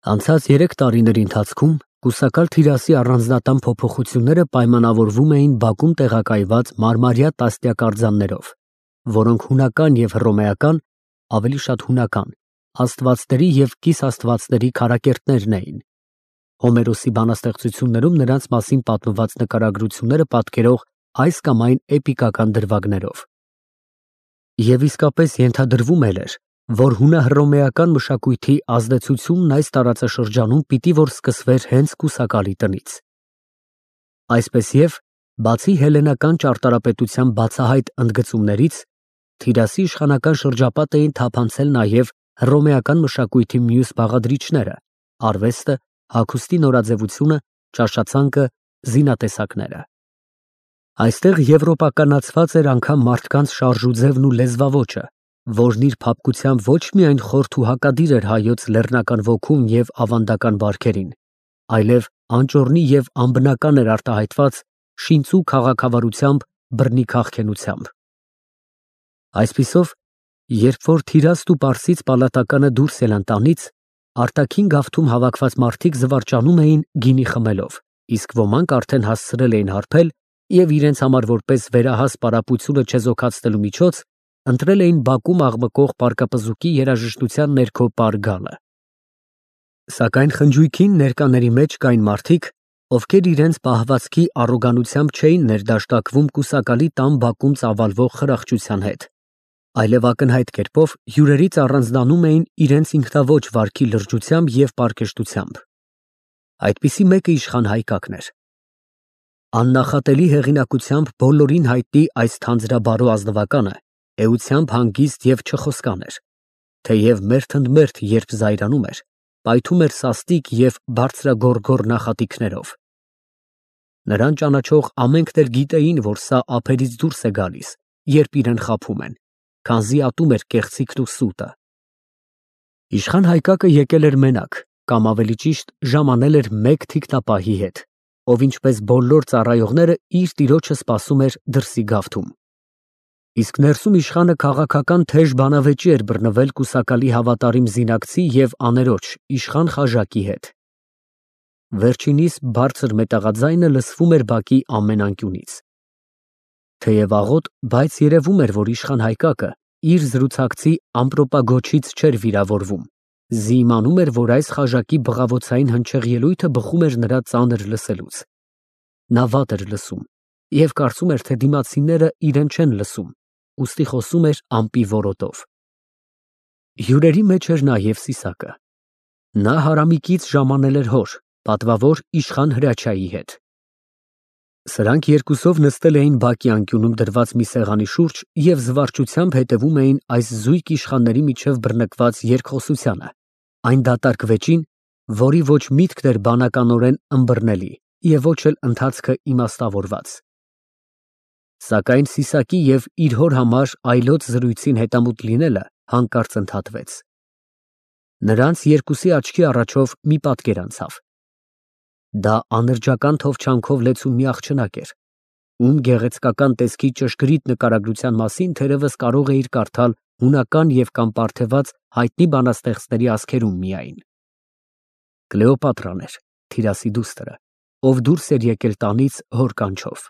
Անցած 3 տարիների ընթացքում կուսակալ Թիրասի առանձնատան փոփոխությունները պայմանավորվում էին բակում տեղակայված մարմարյա տասնյակ որոնք հունական և հռոմեական, ավելի շատ հունական, աստվածների և կիսաստվածների քարակերտներն էին։ Հոմերոսի բանաստեղծություններում նրանց մասին պատմված նկարագրությունները պատկերող այս կամ այն էպիկական դրվագներով։ Եվ իսկապես ենթադրվում էր, որ հունահռոմեական մշակույթի ազդեցությունն այս տարածաշրջանում պիտի որ սկսվեր հենց կուսակալի տնից։ Այսպես և, բացի հելլենական ճարտարապետության բացահայտ ընդգծումներից, Թիրասի իշխանական շրջապատ էին թափանցել նաև հռոմեական մշակույթի մյուս բաղադրիչները՝ արվեստը, հագուստի նորաձևությունը, ճաշացանկը, զինատեսակները։ Այստեղ եվրոպականացված էր անգամ մարդկանց շարժուձևն ու լեզվաոճը, որն իր փափկությամբ ոչ միայն խորթ ու հակադիր էր հայոց լեռնական ոգուն և ավանդական բարքերին, այլև անճոռնի և անբնական էր արտահայտված շինծու քաղաքավարությամբ, բռնի քաղքենությամբ։ Այսպիսով, երբ որ Թիրասն ու պարսից պալատականը դուրս ելան տանից, արտաքին գավթում հավաքված մարդիկ զվարճանում էին գինի խմելով, իսկ ոմանք արդեն հասցրել էին հարբել և իրենց համար որպես վերահաս պարապությունը չեզոքացնելու միջոց, ընտրել էին բակում աղմկող պարկապզուկի երաժշտության ներքո պար գալը։ Սակայն խնջույքին ներկաների մեջ կային մարդիկ, ովքեր իրենց պահվածքի առոգանությամբ չէին ներդաշնակվում կուսակալի տան բակում ծավալվող խրախճության հետ, այլև ակնհայտ կերպով հյուրերից առանձնանում էին իրենց ինքնաոճ վարքի լրջությամբ և պարկեշտությամբ։ Այդպիսի մեկը իշխան Հայկակն էր։ Աննախատելի հեղինակությամբ բոլորին հայտնի այս թանձրաբարո ազնվականը էությամբ հանգիստ և չխոսկան էր, թեև մերթընդմերթ երբ զայրանում էր, պայթում էր սաստիկ և բարձրագոռգոռ նախատինքներով։ Նրան ճանաչող ամենքն էլ գիտեին, որ սա ափերից դուրս է գալիս, երբ իրան խաբում են, քանզի ատում էր կեղծիքն ու սուտը։ Իշխան Հայկակը եկել էր մենակ, կամ ավելի ճիշտ ժամանել էր մեկ թիկնապահի հետ, ով ինչպես բոլոր ծառայողները իր տիրոջը սպասում էր դրսի գավթում։ Իսկ ներսում իշխանը քաղաքական թեժ բանավեճի էր բռնվել կուսակալի հավատարիմ զինակցի և աներոջ իշխան Խաժակի հետ։ Վերջինիս բարձր մետաղաձայնը լսվում էր բակի ամեն անկյունից։ Թեև աղոտ, բայց երևում էր, որ իշխան Հայկակը իր զրուցակցի ամպրոպագոչից չէր վիրավորվում, զիիմանում էր, որ այս Խաժակի բղավոցային հնչեղ ելույթը բխում էր նրա ծանր լսելուց։ Նա վատ էր լսում և կարծում էր, թե դիմացինները իրեն չեն լսում, ուստի խոսում էր ամպի որոտով։ Հյուրերի մեջ էր նաև Սիսակը։ Նա հարամիկից ժամանել էր հոր, պատվավոր իշխան Հրաչյայի հետ։ Սրանք երկուսով նստել էին բակի անկյունում դրված մի սեղանի շուրջ և զվարճությամբ հետևում էին այս զույգ իշխանների միջև բռնկված երկխոսությանը, այն դատարկ վեճին, որի ոչ միտքն էր բանականորեն ըմբռնելի և ոչ էլ ընթացքը իմաստավորված։ Սակայն Սիսակի և իր հոր համար այլոց զրույցին հետամուտ լինելը հանկարծ ընդհատվեց։ Նրանց երկուսի աչքի առաջով մի պատկեր անցավ։ Դա անրջական թովչանքով լեցուն մի աղջնակ էր, ում գեղեցկական տեսքի ճշգրիտ նկարագրության մասին թերևս կարող էիր կարդալ հունական և կամ պարթեված հայտնի բանաստեղծների ասքերում միայն։ Կլեոպատրան էր, Թիրասի դուստրը, ով դուրս էր եկել տանից հոր կանչով։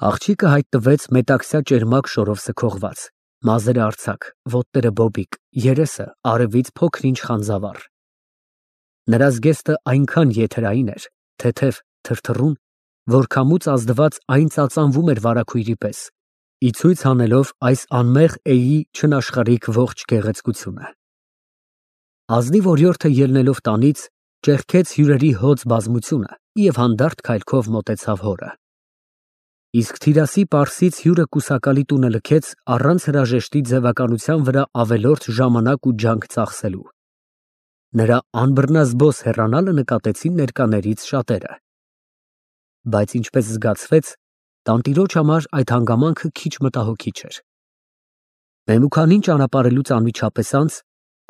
Աղջիկը հայտնվեց մետաքսյա ճերմակ շորով սքողված, մազերը արձակ, ոտները բոբիկ, երեսը արևից փոքր֊ինչ խանձավառ։ Նրա զգեստը այնքան եթերային էր, թեթև, թրթռուն, որ քամուց ազդված այն ծածանվում էր վարագույրի պես, ի ցույց անելով այս անմեղ էի չնաշխարհիկ ողջ գեղեցկությունը։ Ազնիվ օրիորդը ելնելով տանից, ճեղքեց հյուրերի հոծ բազմությունը և հանդարտ քայլքով մոտեցավ հորը։ Իսկ Թիրասի պարսից հյուրը կուսակալի տունը լքեց առանց հրաժեշտի ձևականության վրա ավելորդ ժամանակ ու ջանք ծախսելու։ Նրա անբռնազբոս հեռանալը նկատեցին ներկաներից շատերը։ Բայց ինչպես զգացվեց, տանտիրոջ համար այդ հանգամանքը քիչ մտահոգիչ էր։ Մեմուքանին ճանապարհելուց անմիջապես անց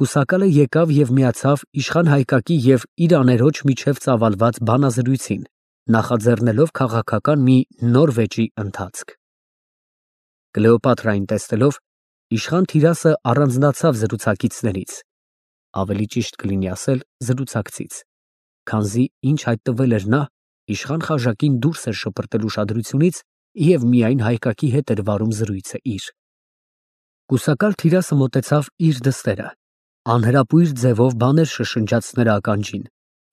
կուսակալը եկավ և միացավ իշխան Հայկակի և իր աներոջ միջև ծավալված բանազրույցին, նախաձեռնելով քաղաքական մի նոր վեճի ընթացք։ Կլեոպատրային տեսնելով, իշխան Թիրասը առանձնացավ զրուցակիցներից ավելի ճիշտ կլինի ասել զրուցակցից, քանզի ինչ հայտնվել էր նա, իշխան Խաժակին դուրս էր շպրտել ուշադրությունից և միայն Հայկակի հետ էր վարում զրույցը իր։ Կուսակալ թիրասը մոտեցավ իր դստերը, անհրապույր ձևով բաներ շշնջաց նրա ականջին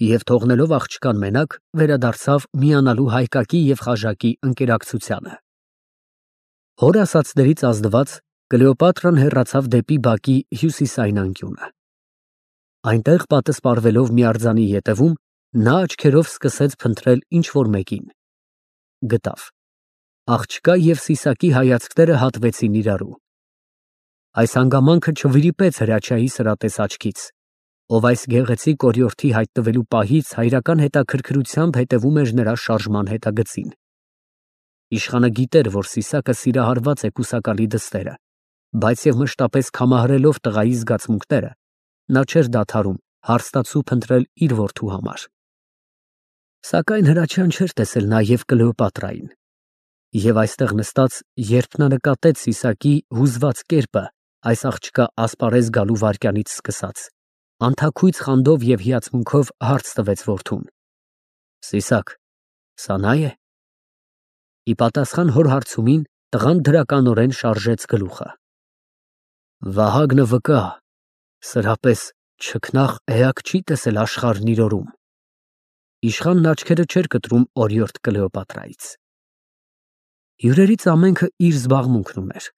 և թողնելով աղջկան մենակ, վերադարձավ միանալու Հայկակի և Խաժակի ընկերակցությանը։ Հոր ասածներից ազդված Կլեոպատրան հեռացավ դեպի բակի հյուսիսային անկյունը։ Այնտեղ պատսպարվելով մի արձանի ետևում, նա աչքերով սկսեց փնտրել ինչ-որ մեկին։ Գտավ։ Աղջկա և Սիսակի հայացքները հատվեցին իրարու։ Այս հանգամանքը չվրիպեց Հրաչյայի սրատես աչքից, ով այս գեղեցիկ օրիորդի հայտնվելու պահից հայրական հետաքրքրությամբ հետևում էր նրա շարժման հետագծին։ Իշխանը գիտեր, որ Սիսակը սիրահարված է կուսակալի դստերը, բայց և մշտապես քամահարելով տղայի զգացմունքները, նա չէր դադարում հարստացու փնտրել իր որդու համար։ Սակայն Հրաչյան չէր տեսել նաև Կլեոպատրային։ Եվ այստեղ նստած, երբ նա նկատեց Սիսակի հուզված կերպը, այս աղջկա ասպարեզ գալու վայրկյանից սկսած, անթաքույց խանդով և հիացմունքով հարց տվեց որդուն. Սիսակ, սա նա է։ Ի պատասխան հոր հարցումին, տղան դրականորեն շարժեց գլուխը։ Վահագնը վկա, սրապես չքնաղ էակ չի տեսել աշխարհն իր օրում։ Իշխանն աչքերը չէր կտրում օրիորդ Կլեոպատրայից։ Հյուրերից ամենքը իր զբաղմունքն ուներ։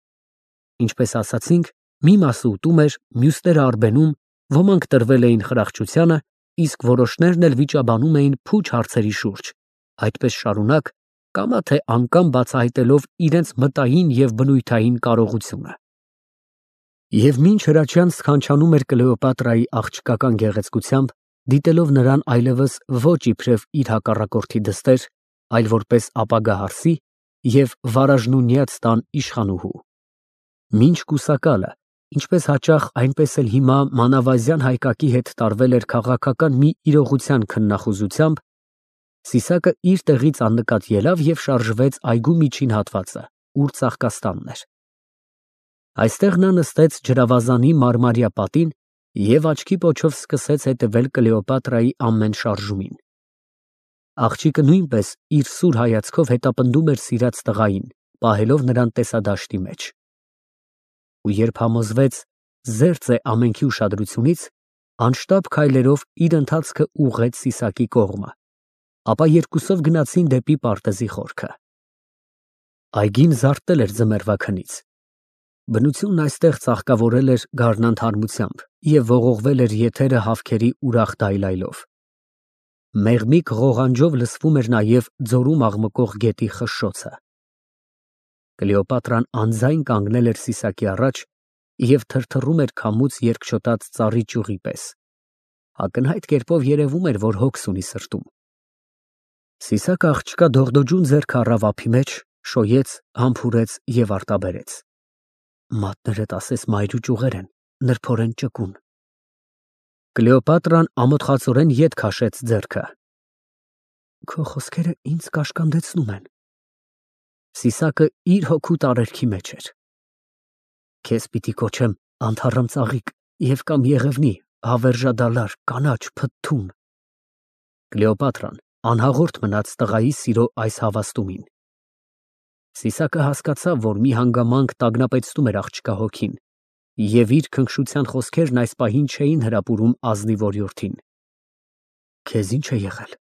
Ինչպես ասացինք, մի մասը ուտում էր, մյուսները արբենում, ոմանք տրվել էին խրախճությանը, իսկ որոշներն էլ վիճաբանում էին փուչ հարցերի շուրջ, այդպես շարունակ, կամա թե անգամ բացահայտելով իրենց մտային և բնույթային կարողությունը։ Եվ մինչ Հրաչյան սքանչանում էր Կլեոպատրայի աղջկական գեղեցկությամբ, դիտելով նրան այլևս ոչ իբրև իր հակառակորդի դստեր, այլ որպես ապագա հարսի և վարաժնունյաց տան իշխանուհու։ Մինչ կուսակալը, ինչպես հաճախ, այնպես էլ հիմա մանավազյան Հայկակի հետ տարվել էր քաղաքական մի իրողության քննախուզությամբ, Սիսակը իր տեղից աննկատ ելավ և շարժվեց այգու միջին հատվածը, ուր ծաղկաստանն էր։ Այստեղ նա նստեց ջրավազանի մարմարյա պատին և աչքի պոչով սկսեց հետևել Կլեոպատրայի ամեն շարժումին։ Աղջիկը նույնպես իր սուր հայացքով հետապնդում էր սիրած տղային, պահելով նրան տեսադաշտի մեջ։ Ու երբ համոզվեց զերծ է ամենքի ուշադրությունից, անշտապ քայլերով իր ընթացքը ուղղեց Սիսակի կողմը, ապա երկուսով գնացին դեպի պարտեզի խորքը։ Այգին զարթել էր ձմեռվա քնից։ Բնությունն այստեղ ծաղկավորել էր գարնան թարմությամբ և ողողվել էր եթերը հավքերի ուրախ դայլայլով։ Մեղմիկ ղողանջով լսվում էր նաև ձորում աղմկող գետի խշշոցը։ Կլեոպատրան անձայն կանգնել էր Սիսակի առաջ և թրթռում էր քամուց երկչոտած ծառի ճյուղի պես։ Ակնհայտ կերպով երևում էր, որ հոգս ունի սրտում։ Սիսակը աղջկա դողդոջուն ձեռքը առավ ափի մեջ, շոյեց, համբուրեց և արտաբերեց։ Մատներդ ասես մայրու ճյուղեր են, նրբորեն ճկուն։ Կլեոպատրան ամոթխածորեն ետ քաշեց ձեռքը։ Քո խոսքերը ինձ կաշկանդեցնում են։ Սիսակը իր հոգու տարերքի մեջ էր։ Քեզ պիտի կոչեմ անթառամ ծաղիկ և կամ եղևնի, հավերժադալար, կանաչ, փթթուն։ Կլեոպատրան անհաղորդ մնաց տղայի սիրո այս հավաստումին։ Սիսակը հասկացավ, որ մի հանգամանք տագնապեցնում էր աղջկա հոգին, և իր քնքշության խոսքերն այս պահին չէին հրապուրում ազնիվ օրիորդին։ Քեզ ինչ է եղել։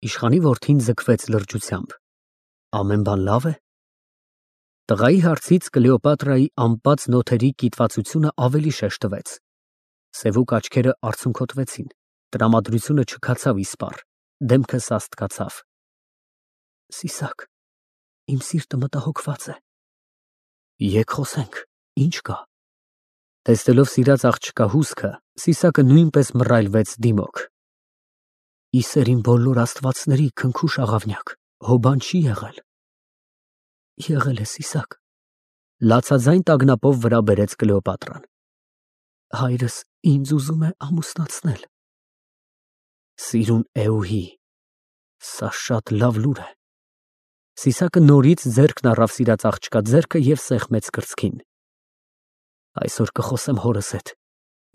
Իշխանի որդին ձգվեց լրջությամբ։ Ամեն բան լավ է։ Տղայի հարցից Կլեոպատրայի ամպած նոթերի կիտվածությունը ավելի շեշտվեց։ Սևուկ աչքերը արցունքոտվեցին, տրամադրությունը չքացավ իսպառ, դեմքը սաստկացավ։ Սիսակ, իմ սիրտը մտահոգված է։ Եկ խոսենք, ինչ կա։ Տեսնելով սիրած աղջկա հուսքը, Սիսակը նույնպես մռայլվեց դիմոք։ Իսեր իմ բոլոր աստվածների քնքուշ աղավնյակ, հոբան չի եղել։ Եղել է, Սիսակ։ Լացաձայն տագնապով վրա բերեց Կլեոպատրան։ Հայրս ինձ ուզում է ամուսնացնել։ Սիրուն էուհի, սա շատ լավ լուր է։ Սիսակը նորից ձեռքն առավ սիրած աղջկա ձեռքը և սեղմեց կրծքին։ Այսօր կխոսեմ հորս հետ։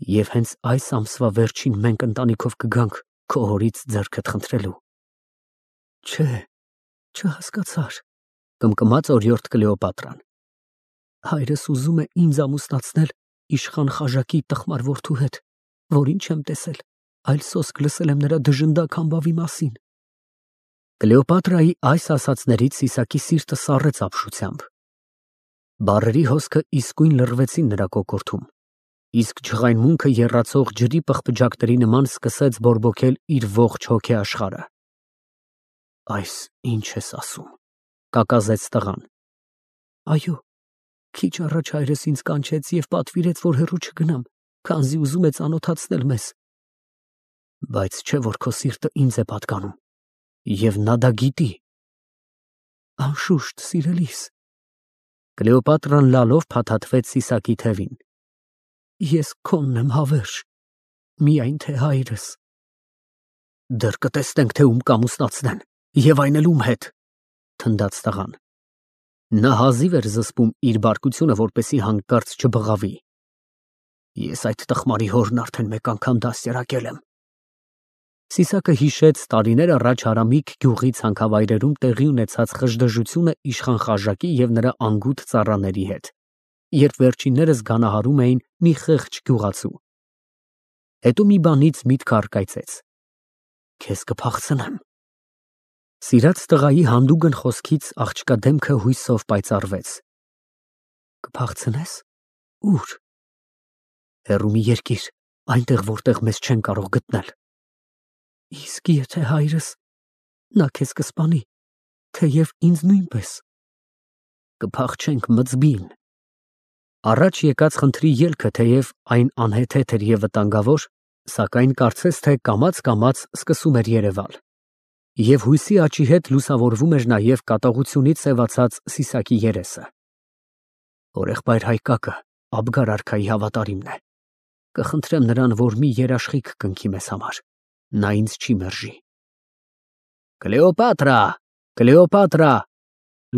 Եվ հենց այս ամսվա վերջին մենք ընտանիքով կգանք քո հորից ձեռքդ խնդրելու։ Չէ, չհասկացար, կմկմաց օրիորդ Կլեոպատրան։ Հայրս ուզում է ինձ ամուսնացնել իշխան Խաժակի տխմար որդու հետ, որին չեմ տեսել, այլ սոսկ լսել եմ նրա դժնդակ համբավի մասին։ Կլեոպատրայի այս ասացներից Սիսակի սիրտը սառեց ապշությամբ։ Բառերի հոսքը իսկույն լռվեցին նրա կոկորդում, իսկ ջղայնմունքը եռացող ջրի պղպջակների նման սկսեց բորբոքել իր ողջ հոգեաշխարհը։ Այս ինչ ես ասում, կակազեց տղան։ Այո, քիչ առաջ հայրս ինձ կանչեց և պատվիրեց, որ հեռու չգնամ, քանզի ուզում է ծանոթացնել մեզ։ Բայց չէ՞ որ քո սիրտը ինձ է պատկանում, և նա դա գիտի։ Անշուշտ, սիրելիս։ Կլեոպատրան լալով փաթաթվեց Սիսակի թևին։ Ես քոնն եմ հավերժ, միայն թե հայրս։ Դեռ կտեսնենք, թե ում կամուսնացնեն, և այն էլ ում հետ, թնդաց տղան։ Նա հազիվ էր զսպում իր բարկությունը, որպեսզի հանկարծ չբղավի։ Ես այդ տխմարի հորն արդեն մեկ անգամ դաստիարակել եմ։ Սիսակը հիշեց տարիներ առաջ Հարամիկ գյուղի ցանքավայրերում տեղի ունեցած խժդժությունը իշխան Խաժակի և նրա անգութ ծառաների հետ, երբ վերջիններս գանահարում էին մի խեղճ գյուղացու։ Հետո մի բանից միտքը առկայծեց։ Քեզ կփախցնեմ։ Սիրած տղայի հանդուգն խոսքից աղջկա դեմքը հույսով պայծառվեց։ Կփախցնես։ Ուր։ Հեռու մի երկիր, այնտեղ, որտեղ մեզ չեն կարող գտնել։ Իսկ եթե հայրս, նա քեզ կսպանի, թեև ինձ նույնպես։ Կփախչենք մծբին։ Առաջ եկած խնդրի ելքը, թեև այն անհեթեթ էր և վտանգավոր, սակայն կարծես թե կամաց սկսում էր երևալ։ Եվ հույսի աճի հետ լուսավորվում էր նաև կատաղությունից սևացած Սիսակի երեսը։ Հորեղբայր Հայկակը Աբգար արքայի հավատարիմն է։ Կխնդրեմ նրան, որ մի երաշխիք կնքի մեզ համար։ Նա ինձ չի մերժի։ Կլեոպատրա, Կլեոպատրա,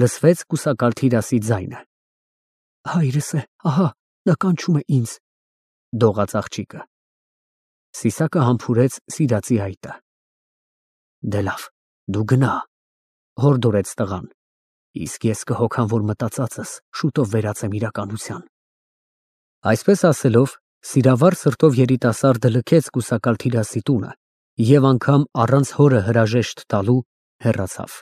լսվեց կուսակալ Թիրասի ձայնը։ Հայրս է, ահա, նա կանչում է ինձ, դողաց աղջիկը։ Սիսակը համբուրեց սիրածի հայտը։ Դե լավ, դու գնա, հորդորեց տղան, իսկ ես կհոգամ, որ մտածածս շուտով վերածեմ իրականության։ Այսպես ասելով, սիրավար սրտով երիտասարդը լքեց կուսակալ Թիրասի տունը և անգամ առանց հորը հրաժեշտ տալու հեռացավ։